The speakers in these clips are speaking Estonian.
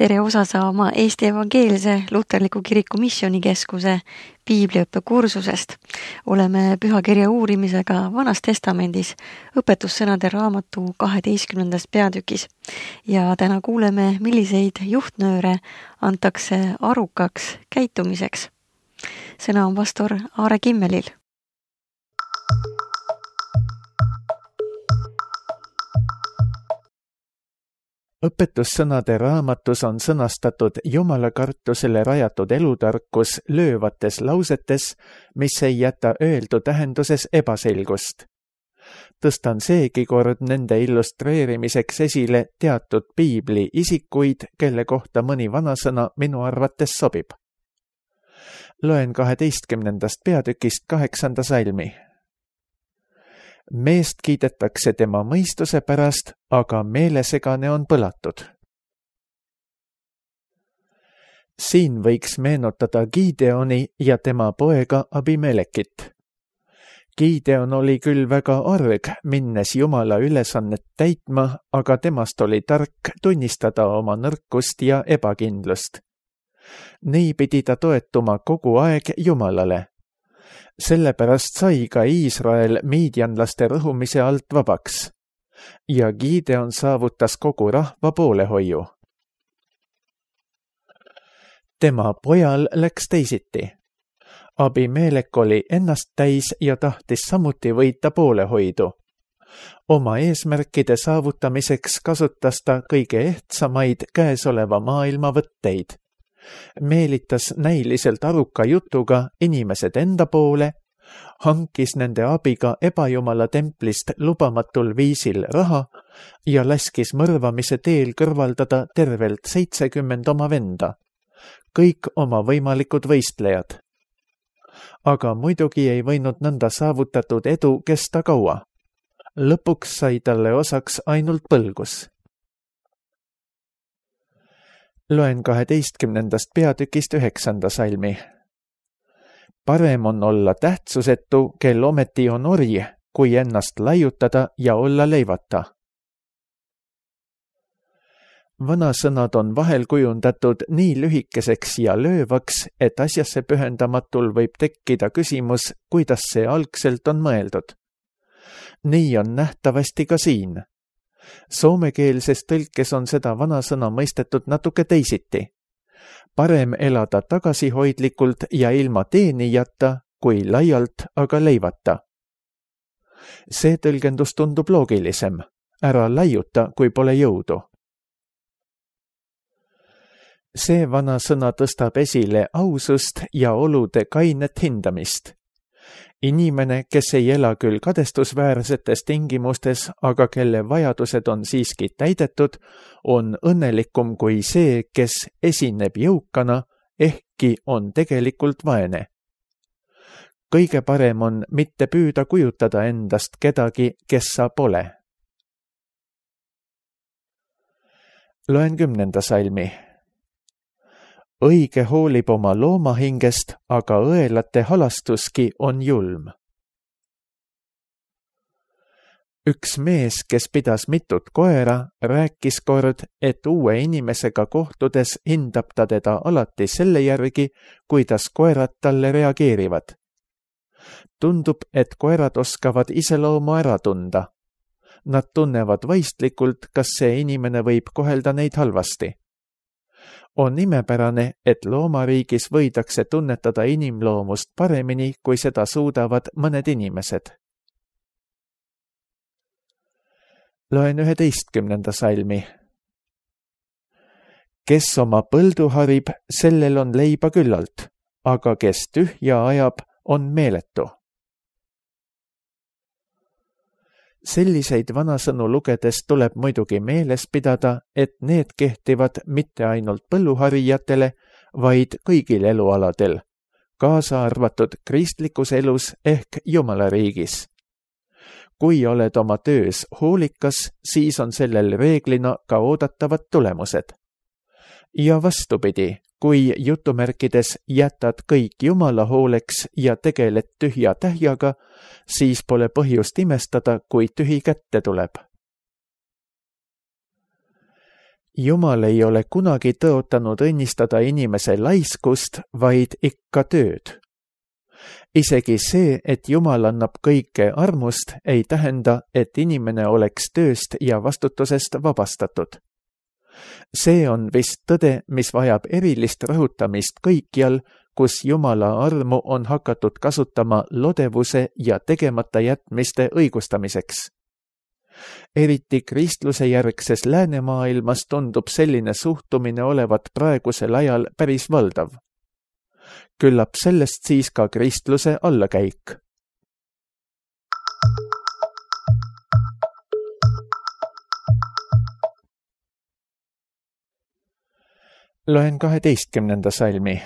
Tere osa saama Eesti Evangeelse Luterliku Kiriku Missioonikeskuse piibliõppe kursusest. Oleme pühakirja uurimisega Vanas Testamendis õpetussõnade raamatu 12. peatükis. Ja täna kuuleme, milliseid juhtnööre antakse arukaks käitumiseks. Sõna on pastor Aare Kimmelil. Õpetussõnade raamatus on sõnastatud jumalakartusele rajatud elutarkus löövates lausetes, mis ei jäta öeldu tähenduses ebaselgust. Tõstan seegi kord nende illustreerimiseks esile teatud piibli isikuid, kelle kohta mõni vanasõna minu arvates sobib. Loen 12. peatükist 8. salmi. Meest kiidetakse tema mõistuse pärast, aga meelesegane on põlatud. Siin võiks meenutada Gideoni ja tema poega Abimelekit. Gideon oli küll väga arg, minnes Jumala ülesannet täitma, aga temast oli tark tunnistada oma nõrkust ja ebakindlust. Nii pidi ta toetuma kogu aeg Jumalale. Sellepärast sai ka Iisrael miidjanlaste rõhumise alt vabaks ja Gideon saavutas kogu rahva poolehoiu. Tema pojal läks teisiti. Abimelek oli ennast täis ja tahtis samuti võita poolehoidu. Oma eesmärkide saavutamiseks kasutas ta kõige ehtsamaid käesoleva maailma võtteid. Meelitas näiliselt aruka jutuga inimesed enda poole, hankis nende abiga ebajumala templist lubamatul viisil raha ja laskis mõrvamise teel kõrvaldada tervelt 70 oma venda, kõik oma võimalikud võistlejad. Aga muidugi ei võinud nõnda saavutatud edu kesta kaua. Lõpuks sai talle osaks ainult põlgus. Loen 12. peatükist 9. salmi. Parem on olla tähtsusetu, kel ometi on orj, kui ennast laiutada ja olla leivata. Vanasõnad on vahel kujundatud nii lühikeseks ja löövaks, et asjasse pühendamatul võib tekkida küsimus, kuidas see algselt on mõeldud. Nii on nähtavasti ka siin. Soomekeelses tõlkes on seda vanasõna mõistetud natuke teisiti. Parem elada tagasihoidlikult ja ilma teenijata, kui laialt aga leivata. See tõlgendus tundub loogilisem. Ära laiuta, kui pole jõudu. See vanasõna tõstab esile ausust ja olude kainet hindamist. Inimene, kes ei ela küll kadestusväärsetes tingimustes, aga kelle vajadused on siiski täidetud, on õnnelikum kui see, kes esineb jõukana, ehkki on tegelikult vaene. Kõige parem on mitte püüda kujutada endast kedagi, kes sa pole. Loen 10. salmi. Õige hoolib oma loomahingest, aga õelate halastuski on julm. Üks mees, kes pidas mitut koera, rääkis kord, et uue inimesega kohtudes hindab ta teda alati selle järgi, kuidas koerad talle reageerivad. Tundub, et koerad oskavad iseloomu ära tunda. Nad tunnevad vaistlikult, kas see inimene võib kohelda neid halvasti. On imepärane, et loomariigis võidakse tunnetada inimloomust paremini, kui seda suudavad mõned inimesed. Loen 11. salmi. Kes oma põldu harib, sellel on leiba küllalt, aga kes tühja ajab, on meeletu. Selliseid vanasõnu lugedes tuleb muidugi meeles pidada, et need kehtivad mitte ainult põlluharijatele, vaid kõigil elualadel, kaasa arvatud kristlikus elus ehk Jumalariigis. Kui oled oma töös hoolikas, siis on sellel reeglina ka oodatavad tulemused. Ja vastupidi, kui jutumärkides jätad kõik Jumala hooleks ja tegeled tühja tähjaga, siis pole põhjust imestada, kui tühi kätte tuleb. Jumal ei ole kunagi tõotanud õnnistada inimese laiskust, vaid ikka tööd. Isegi see, et Jumal annab kõike armust, ei tähenda, et inimene oleks tööst ja vastutusest vabastatud. See on vist tõde, mis vajab erilist rõhutamist kõikjal, kus Jumala armu on hakatud kasutama lodevuse ja tegemata jätmiste õigustamiseks. Eriti kristluse järgses läänemaailmas tundub selline suhtumine olevat praegusel ajal päris valdav. Küllap sellest siis ka kristluse allakäik. Loen 12. salmi.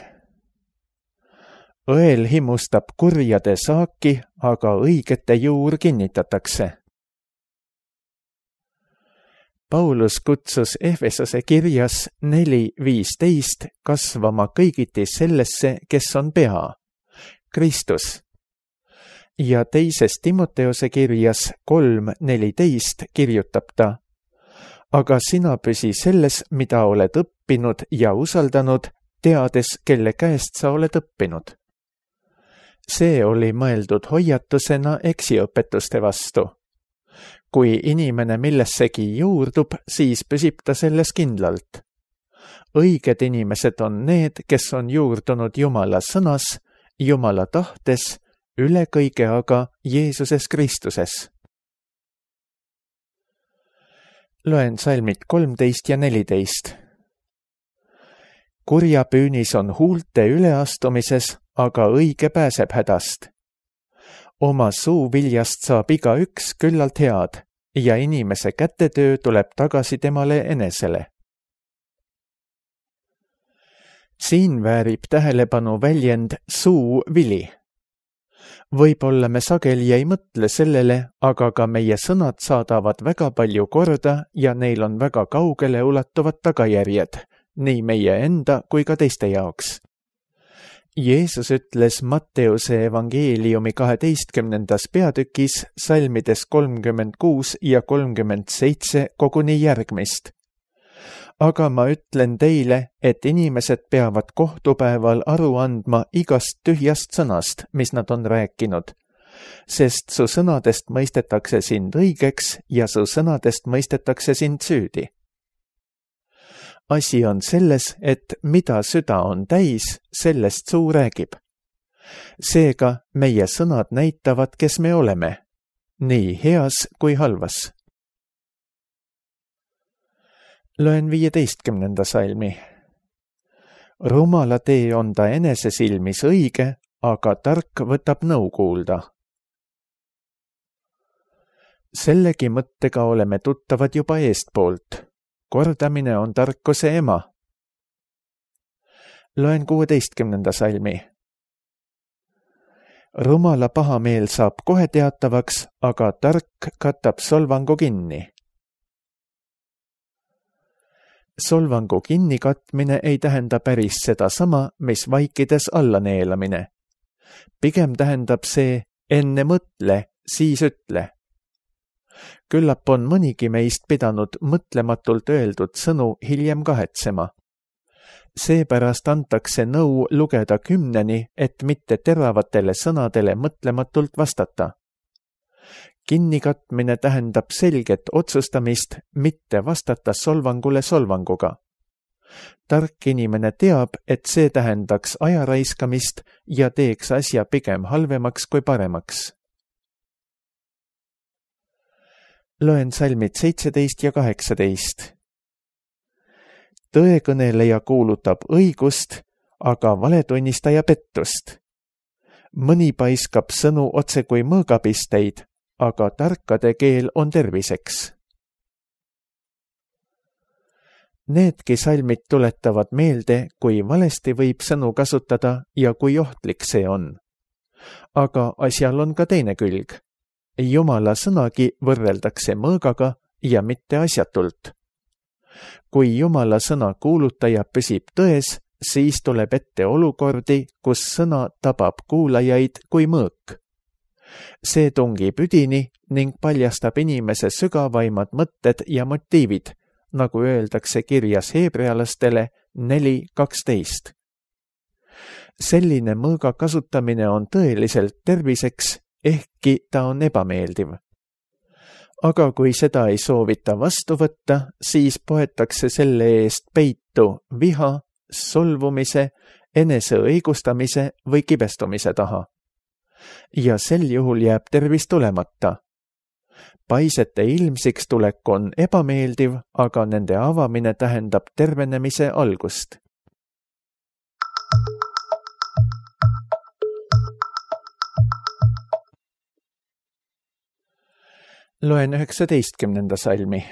Õel himustab kurjade saaki, aga õigete juur kinnitatakse. Paulus kutsus Efesose kirjas 4:15 kasvama kõigiti sellesse, kes on pea, Kristus. Ja teises Timoteose kirjas 3:14 kirjutab ta: aga sina püsi selles, mida oled õppinud ja usaldanud, teades, kelle käest sa oled õppinud. See oli mõeldud hoiatusena eksiõpetuste vastu. Kui inimene millessegi juurdub, siis püsib ta selles kindlalt. Õiged inimesed on need, kes on juurdunud Jumala sõnas, Jumala tahtes, üle kõige aga Jeesuses Kristuses. Loen salmid 13 ja 14. Kurja püünis on huulte üleastumises, aga õige pääseb hädast. Oma suu viljast saab igaüks küllalt head ja inimese kätetöö tuleb tagasi temale enesele. Siin väärib tähelepanu väljend suu vili. Võib-olla me sageli ei mõtle sellele, aga ka meie sõnad saadavad väga palju korda ja neil on väga kaugele ulatuvad tagajärjed, nii meie enda kui ka teiste jaoks. Jeesus ütles Matteuse evangeeliumi 12. peatükis salmides 36 ja 37 koguni järgmist. Aga ma ütlen teile, et inimesed peavad kohtupäeval aru andma igast tühjast sõnast, mis nad on rääkinud, sest su sõnadest mõistetakse sind õigeks ja su sõnadest mõistetakse sind süüdi. Asi on selles, et mida süda on täis, sellest suu räägib. Seega meie sõnad näitavad, kes me oleme, nii heas kui halvas. Loen 15. salmi. Rumala tee on ta enese silmis õige, aga tark võtab nõu kuulda. Sellegi mõttega oleme tuttavad juba eestpoolt. Kordamine on tarkuse ema. Loen 16. salmi. Rumala pahameel saab kohe teatavaks, aga tark katab solvangu kinni. Solvangu kinnikatmine ei tähenda päris seda sama, mis vaikides alla neelamine. Pigem tähendab see enne mõtle, siis ütle. Küllap on mõnigi meist pidanud mõtlematult öeldud sõnu hiljem kahetsema. Seepärast antakse nõu lugeda 10, et mitte teravatele sõnadele mõtlematult vastata. Kinnikatmine tähendab selget otsustamist, mitte vastata solvangule solvanguga. Tark inimene teab, et see tähendaks aja raiskamist ja teeks asja pigem halvemaks kui paremaks. Loen salmid 17 ja 18. Tõekõneleja kuulutab õigust, aga valetunnistaja pettust. Mõni paiskab sõnu otse kui mõõgapisteid, aga tarkade keel on terviseks. Needki salmid tuletavad meelde, kui valesti võib sõnu kasutada ja kui ohtlik see on. Aga asjal on ka teine külg. Jumala sõnagi võrreldakse mõõgaga ja mitte asjatult. Kui Jumala sõna kuulutaja püsib tões, siis tuleb ette olukordi, kus sõna tabab kuulajaid kui mõõk. See tungib üdini ning paljastab inimese sügavaimad mõtted ja motiivid, nagu öeldakse kirjas heebrealastele 4:12. Selline mõõga kasutamine on tõeliselt terviseks, ehkki ta on ebameeldiv. Aga kui seda ei soovita vastu võtta, siis poetakse selle eest peitu viha, solvumise, eneseõigustamise või kibestumise taha. Ja sel juhul jääb tervis tulemata. Paisete ilmsiks tulek on ebameeldiv, aga nende avamine tähendab tervenemise algust. Loen 19. salmi.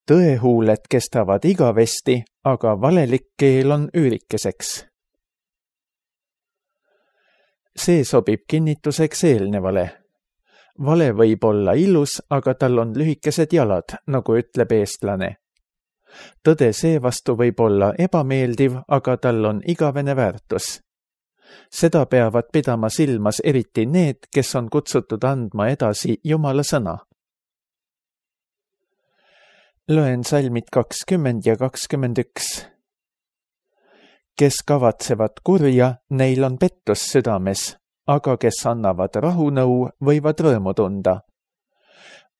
Tõehuuled kestavad igavesti, aga valelik keel on üürikeseks. See sobib kinnituseks eelnevale. Vale võib olla ilus, aga tal on lühikesed jalad, nagu ütleb eestlane. Tõde seevastu võib olla ebameeldiv, aga tal on igavene väärtus. Seda peavad pidama silmas eriti need, kes on kutsutud andma edasi Jumala sõna. Loen salmid 20 ja 21. Kes kavatsevad kurja, neil on pettus südames, aga kes annavad rahunõu, võivad rõõmu tunda.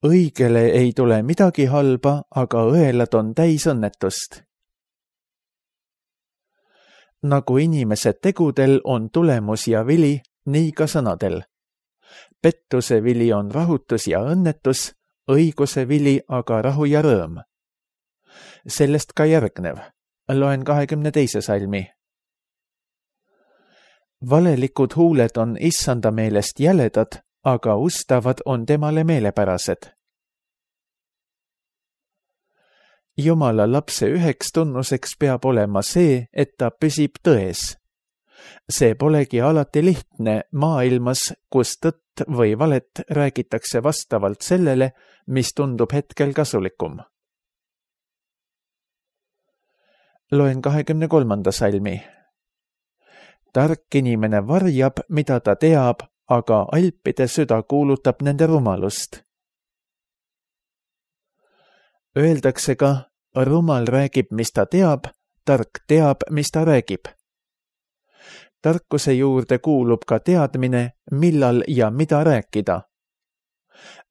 Õigele ei tule midagi halba, aga õelad on täis õnnetust. Nagu inimese tegudel on tulemus ja vili, nii ka sõnadel. Pettuse vili on rahutus ja õnnetus, õiguse vili aga rahu ja rõõm. Sellest ka järgnev. Loen 22. salmi. Valelikud huuled on issanda meelest jäledad, aga ustavad on temale meelepärased. Jumala lapse üheks tunnuseks peab olema see, et ta püsib tões. See polegi alati lihtne maailmas, kus tõtt või valet räägitakse vastavalt sellele, mis tundub hetkel kasulikum. Loen 23. salmi. Tark inimene varjab, mida ta teab, aga alpide süda kuulutab nende rumalust. Öeldakse ka, rumal räägib, mis ta teab, tark teab, mis ta räägib. Tarkuse juurde kuulub ka teadmine, millal ja mida rääkida.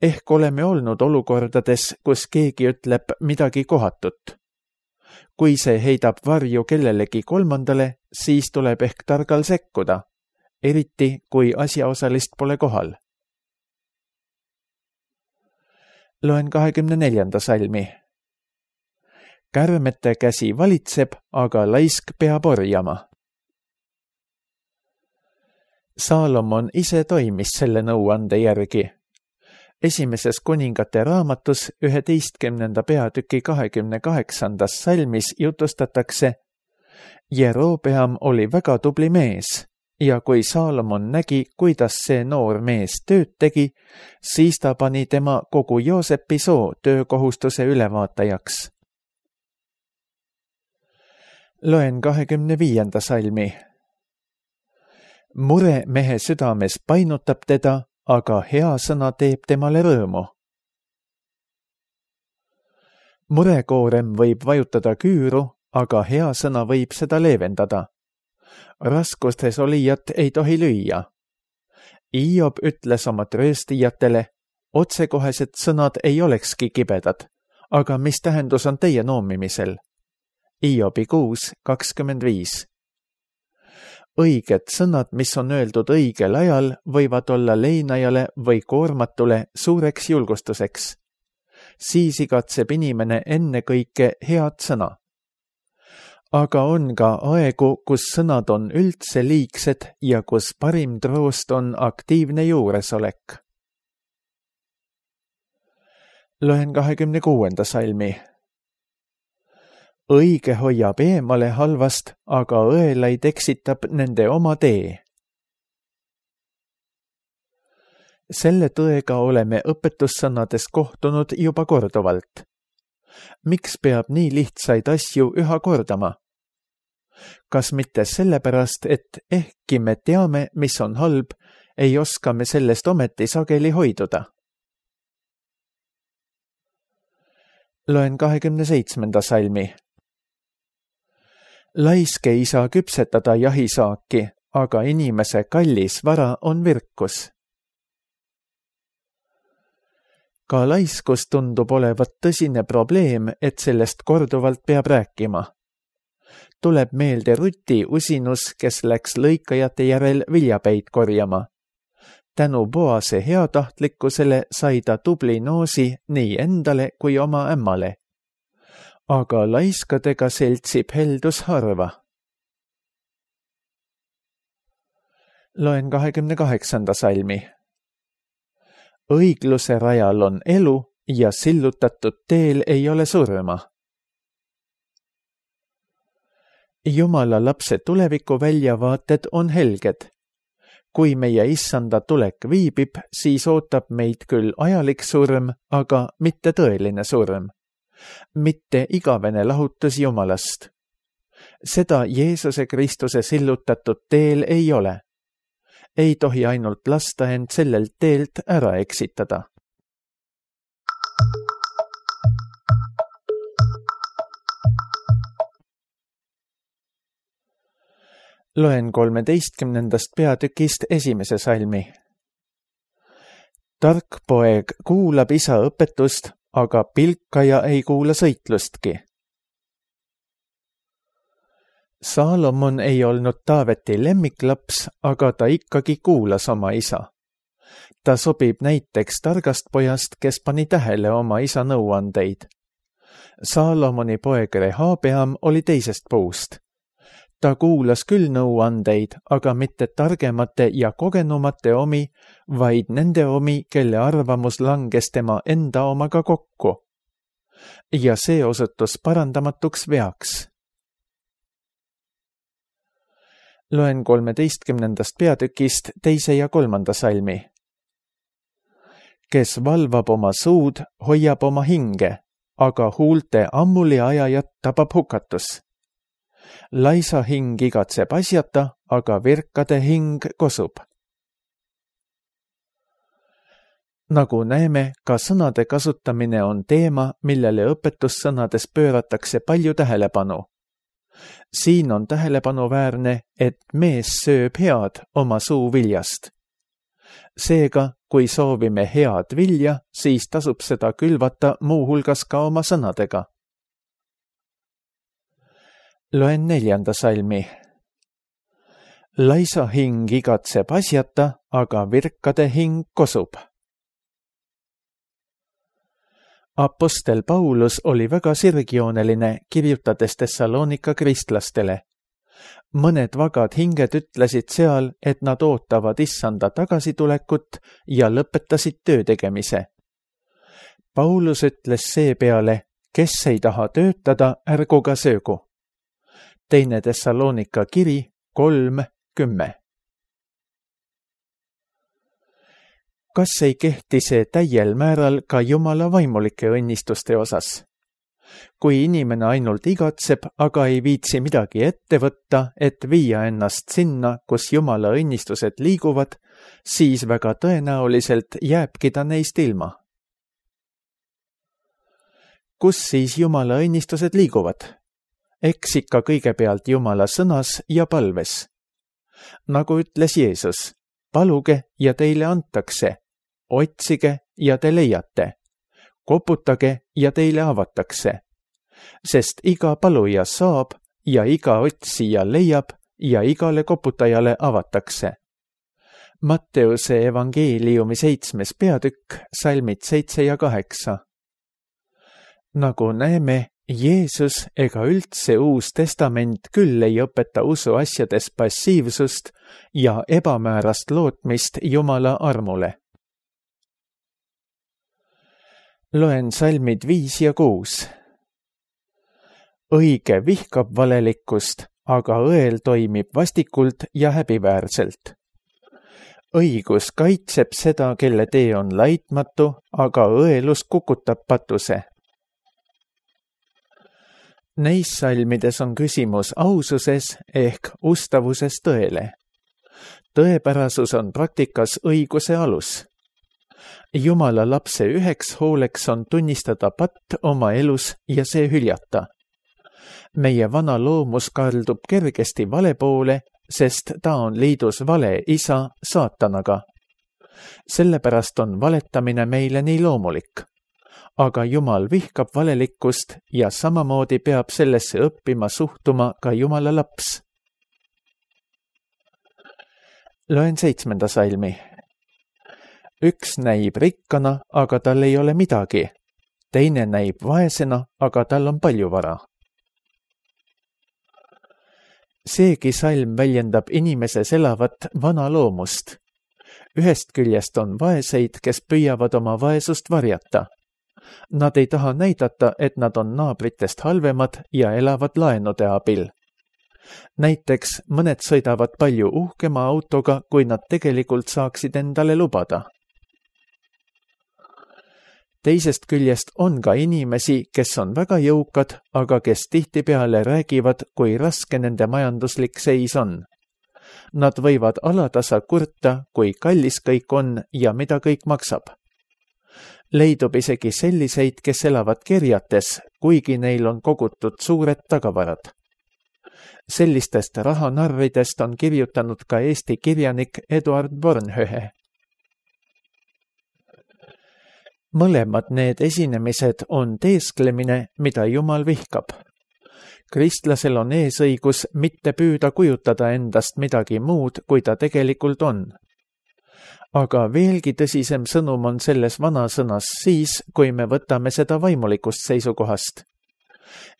Ehk oleme olnud olukordades, kus keegi ütleb midagi kohatut. Kui see heidab varju kellelegi kolmandale, siis tuleb ehk targal sekkuda, eriti kui asjaosalist pole kohal. Loen 24. salmi. Kärmete käsi valitseb, aga laisk peab orjama. Saalomon ise toimis selle nõuande järgi. Esimeses kuningate raamatus 11. peatüki 28. salmis jutustatakse, Jerobeam oli väga tubli mees ja kui Saalomon nägi, kuidas see noor mees tööd tegi, siis ta pani tema kogu Joosepi soo töökohustuse ülevaatajaks. Loen 25. salmi. Mure mehe südames painutab teda, aga hea sõna teeb temale rõõmu. Murekoorem võib vajutada küüru, aga hea sõna võib seda leevendada. Raskustes olijat ei tohi lüüa. Hiob ütles oma trööstijatele, otsekohesed sõnad ei olekski kibedad, aga mis tähendus on teie noomimisel? Hiobi 6:25. Õiged sõnad, mis on öeldud õigel ajal, võivad olla leinajale või koormatule suureks julgustuseks. Siis igatseb inimene ennekõike head sõna. Aga on ka aegu, kus sõnad on üldse liigsed ja kus parim troost on aktiivne juuresolek. Loen 26. salmi. Õige hoiab eemale halvast, aga õelaid eksitab nende oma tee. Selle tõega oleme õpetussõnades kohtunud juba korduvalt. Miks peab nii lihtsaid asju üha kordama? Kas mitte sellepärast, et ehkki me teame, mis on halb, ei oska me sellest ometi sageli hoiduda? Loen 27. salmi. Laisk ei saa küpsetada jahisaaki, aga inimese kallis vara on virkus. Ka laiskus tundub olevat tõsine probleem, et sellest korduvalt peab rääkima. Tuleb meelde Ruti usinus, kes läks lõikajate järel viljapäid korjama. Tänu Boase heatahtlikkusele sai ta tubli noosi nii endale kui oma ämmale. Aga laiskadega seltsib heldus harva. Loen 28. salmi. Õigluse rajal on elu ja sillutatud teel ei ole surma. Jumala lapse tuleviku väljavaated on helged. Kui meie issanda tulek viibib, siis ootab meid küll ajalik surm, aga mitte tõeline surm. Mitte igavene lahutus Jumalast. Seda Jeesuse Kristuse sillutatud teel ei ole. Ei tohi ainult lasta end sellelt teelt ära eksitada. Loen 13. peatükist 1. salmi. Tark poeg kuulab isa õpetust, aga pilkaja ei kuula sõitlustki. Saalomon ei olnud Taaveti lemmiklaps, aga ta ikkagi kuulas oma isa. Ta sobib näiteks targast pojast, kes pani tähele oma isa nõuandeid. Saalomoni poeg Rehabeam oli teisest puust. Ta kuulas küll nõuandeid, aga mitte targemate ja kogenumate omi, vaid nende omi, kelle arvamus langes tema enda omaga kokku. Ja see osutus parandamatuks veaks. Loen 13. peatükist 2. ja 3. salmi. Kes valvab oma suud, hoiab oma hinge, aga huulte ammuli ajajat tabab hukatus. Laisa hing igatseb asjata, aga virkade hing kosub. Nagu näeme, ka sõnade kasutamine on teema, millele õpetussõnades pööratakse palju tähelepanu. Siin on tähelepanuväärne, et mees sööb head oma suu viljast. Seega, kui soovime head vilja, siis tasub seda külvata muuhulgas ka oma sõnadega. Loen 4. salmi. Laisa hing igatseb asjata, aga virkade hing kosub. Apostel Paulus oli väga sirgjooneline, kirjutades Thessalonika kristlastele. Mõned vagad hinged ütlesid seal, et nad ootavad issanda tagasitulekut ja lõpetasid töö tegemise. Paulus ütles seepeale, kes ei taha töötada, ärgu ka söögu. 2. Thessalonika kiri 3:10. Kas ei kehti see täiel määral ka Jumala vaimulike õnnistuste osas? Kui inimene ainult igatseb, aga ei viitsi midagi ette võtta, et viia ennast sinna, kus Jumala õnnistused liiguvad, siis väga tõenäoliselt jääbki ta neist ilma. Kus siis Jumala õnnistused liiguvad? Eks ikka kõigepealt Jumala sõnas ja palves. Nagu ütles Jeesus, paluge ja teile antakse, otsige ja te leiate, koputage ja teile avatakse. Sest iga paluja saab ja iga otsija leiab ja igale koputajale avatakse. Matteuse evangeeliumi 7. peatükk, salmid 7 ja 8. Nagu näeme, Jeesus ega üldse Uus Testament küll ei õpeta usuasjades passiivsust ja ebamäärast lootmist Jumala armule. Loen salmid 5 ja 6. Õige vihkab valelikkust, aga õel toimib vastikult ja häbiväärselt. Õigus kaitseb seda, kelle tee on laitmatu, aga õelus kukutab patuse. Neis salmides on küsimus aususes ehk ustavuses tõele. Tõepärasus on praktikas õiguse alus. Jumala lapse üheks hooleks on tunnistada patt oma elus ja see hüljata. Meie vana loomus kaldub kergesti vale poole, sest ta on liidus vale isa saatanaga. Sellepärast on valetamine meile nii loomulik. Aga Jumal vihkab valelikkust ja samamoodi peab sellesse õppima suhtuma ka Jumala laps. Loen 7. salmi. Üks näib rikkana, aga tal ei ole midagi. Teine näib vaesena, aga tal on palju vara. Seegi salm väljendab inimeses elavat vana loomust. Ühest küljest on vaeseid, kes püüavad oma vaesust varjata. Nad ei taha näidata, et nad on naabritest halvemad ja elavad laenude abil. Näiteks mõned sõidavad palju uhkema autoga, kui nad tegelikult saaksid endale lubada. Teisest küljest on ka inimesi, kes on väga jõukad, aga kes tihtipeale räägivad, kui raske nende majanduslik seis on. Nad võivad alatasa kurta, kui kallis kõik on ja mida kõik maksab. Leidub isegi selliseid, kes elavad kerjates, kuigi neil on kogutud suured tagavarad. Sellistest rahanarridest on kirjutanud ka Eesti kirjanik Eduard Bornhöhe. Mõlemad need esinemised on teesklemine, mida Jumal vihkab. Kristlasel on eesõigus mitte püüda kujutada endast midagi muud, kui ta tegelikult on. Aga veelgi tõsisem sõnum on selles vanasõnas siis, kui me võtame seda vaimulikust seisukohast.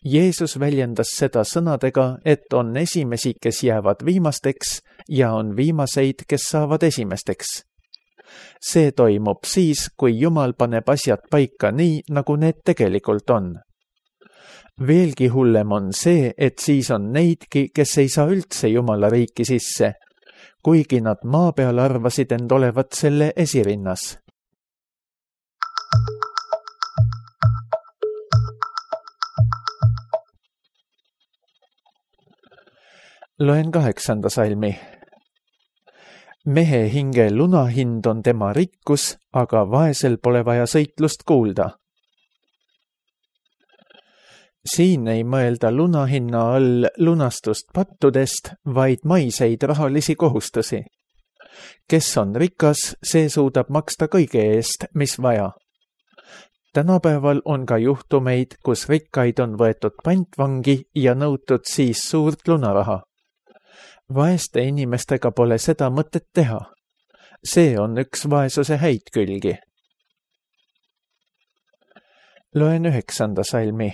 Jeesus väljendas seda sõnadega, et on esimesi, kes jäävad viimasteks ja on viimaseid, kes saavad esimesteks. See toimub siis, kui Jumal paneb asjad paika nii, nagu need tegelikult on. Veelgi hullem on see, et siis on neidki, kes ei saa üldse Jumala riiki sisse, kuigi nad maa peal arvasid end olevat selle esirinnas. Loen 8. salmi. Mehe hinge lunahind on tema rikkus, aga vaesel pole vaja sõitlust kuulda. Siin ei mõelda lunahinna all lunastust pattudest, vaid maiseid rahalisi kohustusi. Kes on rikas, see suudab maksta kõige eest, mis vaja. Tänapäeval on ka juhtumeid, kus rikkaid on võetud pantvangi ja nõutud siis suurt lunaraha. Vaeste inimestega pole seda mõtet teha. See on üks vaesuse häid külgi. Loen 9. salmi.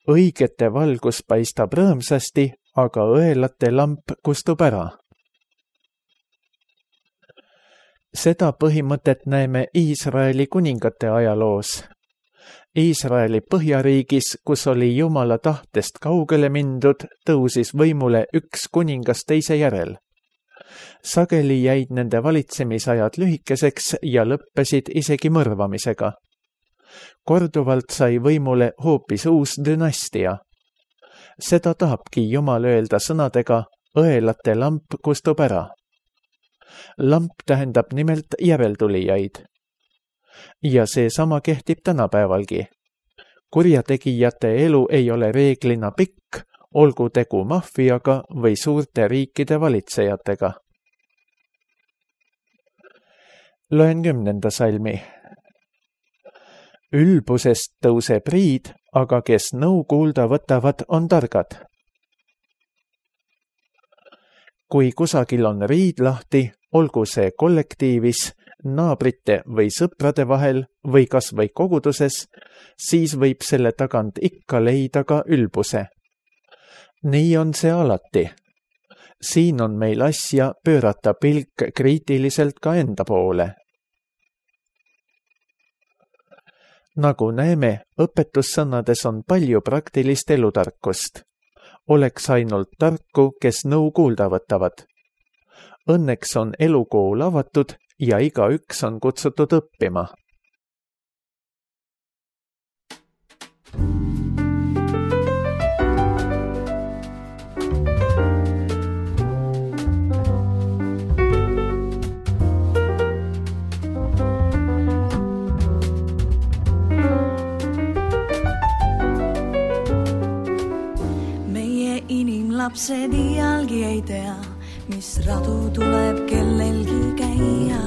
Õigete valgus paistab rõõmsasti, aga õelate lamp kustub ära. Seda põhimõtet näeme Iisraeli kuningate ajaloos. Iisraeli põhjariigis, kus oli Jumala tahtest kaugele mindud, tõusis võimule üks kuningas teise järel. Sageli jäid nende valitsemisajad lühikeseks ja lõppesid isegi mõrvamisega. Korduvalt sai võimule hoopis uus dünastia. Seda tahabki Jumal öelda sõnadega, õelate lamp kustub ära. Lamp tähendab nimelt järeltulijaid. Ja see sama kehtib tänapäevalgi. Kurjategijate elu ei ole reeglina pikk, olgu tegu maffiaga või suurte riikide valitsejatega. Loen 10. salmi. Ülbusest tõuseb riid, aga kes nõu kuulda võtavad, on targad. Kui kusagil on riid lahti, olgu see kollektiivis, naabrite või sõprade vahel või kas või koguduses, siis võib selle tagant ikka leida ka ülbuse. Nii on see alati. Siin on meil asja pöörata pilk kriitiliselt ka enda poole. Nagu näeme, õpetussõnades on palju praktilist elutarkust. Oleks ainult tarku, kes nõu kuulda võtavad. Õnneks on elukool avatud ja igaüks on kutsutud õppima. lapsed iialgi ei tea, mis radu tuleb kellelgi käia.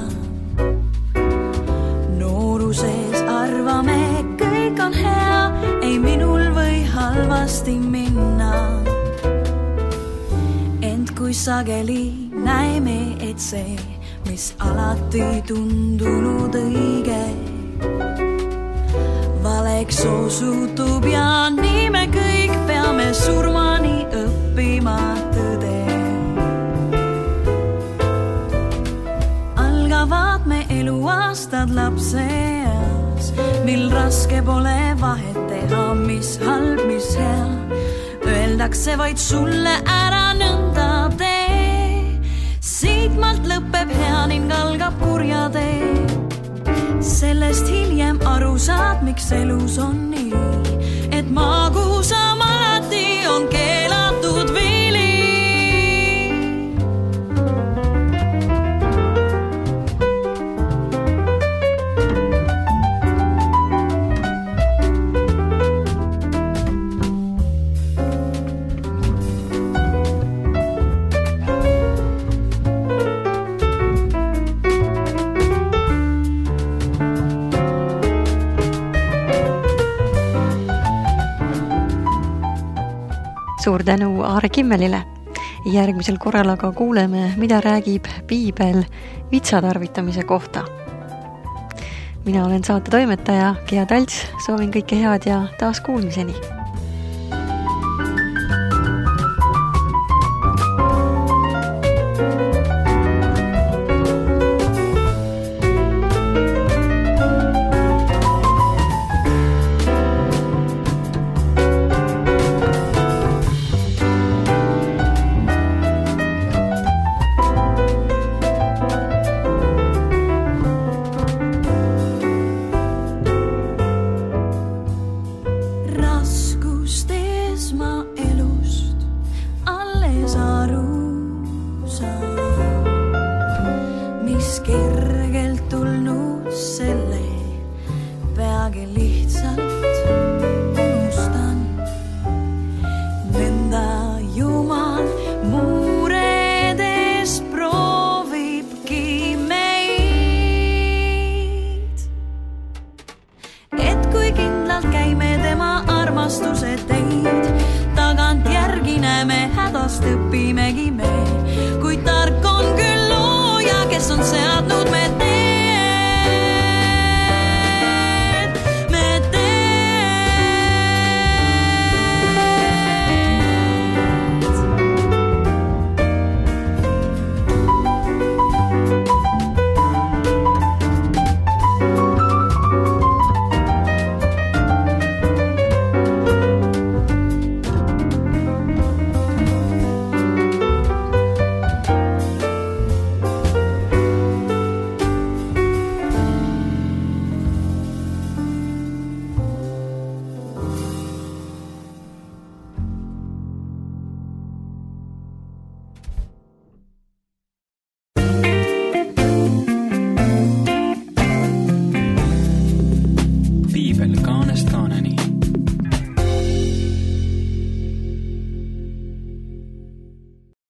Nooruses arvame, kõik on hea, ei minul või halvasti minna. Ent kui sageli näeme, et see, mis alati tundunud õige, valeks osutub ja nii me kõik peame surmani õppima tõde. Algavad me eluaastad lapseas, mil raske pole vahet teha, mis halb, mis hea. Öeldakse vaid sulle ära nõnda tee. Siitmalt lõpeb hea ning algab kurja tee. Sellest hiljem aru saad, miks elus on nii, et magusam alati on keelatud vili. Suur tänu Aare Kimmelile. Järgmisel korral aga kuuleme, mida räägib piibel vitsa tarvitamise kohta. Mina olen saate toimetaja Gea Talts, soovin kõike head ja taas kuulmiseni. Õpimegi me, kui tark on küll looja, kes on seal